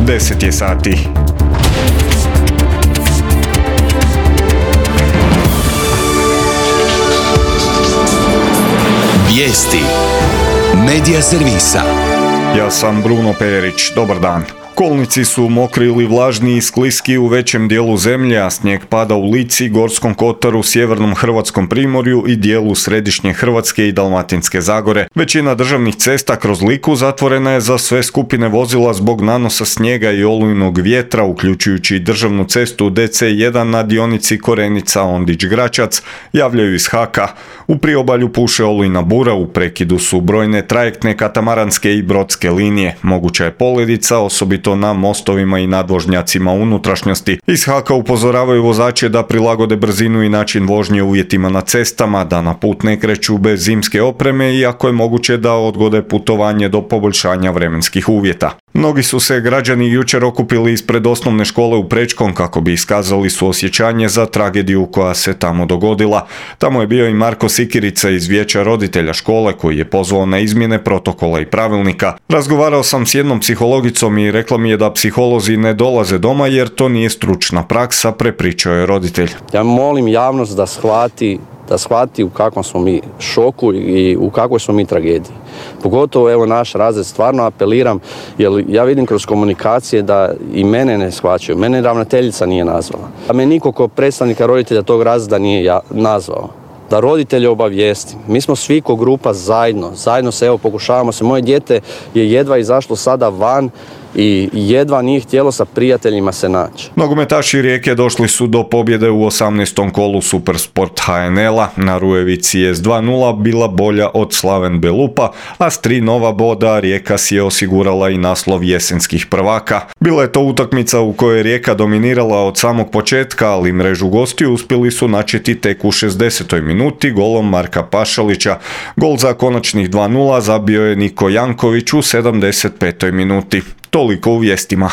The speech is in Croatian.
10 je sati. Vijesti Medija servisa. Ja sam Bruno Perić, dobar dan. Kolnici su mokri ili vlažni i skliski u većem dijelu zemlje, a snijeg pada u Lici, Gorskom kotaru, sjevernom hrvatskom primorju i dijelu središnje Hrvatske i Dalmatinske Zagore. Većina državnih cesta kroz Liku zatvorena je za sve skupine vozila zbog nanosa snijega i olujnog vjetra, uključujući i državnu cestu DC1 na dionici Korenica-Ondić-Gračac, javljaju iz HAK-a. U priobalju puše olujna bura, u prekidu su brojne trajektne, katamaranske i brodske linije. Moguća je poledica, osobito na mostovima i nadvožnjacima unutrašnjosti. Iz HAK-a upozoravaju vozače da prilagode brzinu i način vožnje uvjetima na cestama, da na put ne kreću bez zimske opreme i ako je moguće da odgode putovanje do poboljšanja vremenskih uvjeta. Mnogi su se građani jučer okupili ispred osnovne škole u Prečkom kako bi iskazali suosjećanje za tragediju koja se tamo dogodila. Tamo je bio i Marko Sikirica iz Vijeća roditelja škole koji je pozvao na izmjene protokola i pravilnika. Razgovarao sam s jednom psihologicom i rekla mi je da psiholozi ne dolaze doma jer to nije stručna praksa, prepričao je roditelj. Ja molim javnost da shvati u kakvom smo mi šoku i u kakvoj smo mi tragediji. Pogotovo evo naš razred, stvarno apeliram, jer ja vidim kroz komunikacije da i mene ne shvaćaju. Mene ravnateljica nije nazvala. A me niko kao predstavnika roditelja tog razreda nije nazvao. Da roditelje obavijestim. Mi smo svi ko grupa zajedno se evo pokušavamo se. Moje dijete je jedva izašlo sada van i jedva nije htjelo sa prijateljima se naći. Nogometaši Rijeke došli su do pobjede u 18. kolu Supersport HNL-a. Na Rujevici je s 2:0 bila bolja od Slaven Belupa, a s 3 nova boda Rijeka si je osigurala i naslov jesenskih prvaka. Bila je to utakmica u kojoj je Rijeka dominirala od samog početka, ali mrežu gostiju uspjeli su načeti tek u 60. minuti golom Marka Pašalića. Gol za konačnih 2:0 zabio je Niko Janković u 75. minuti. Toliko u vijestima.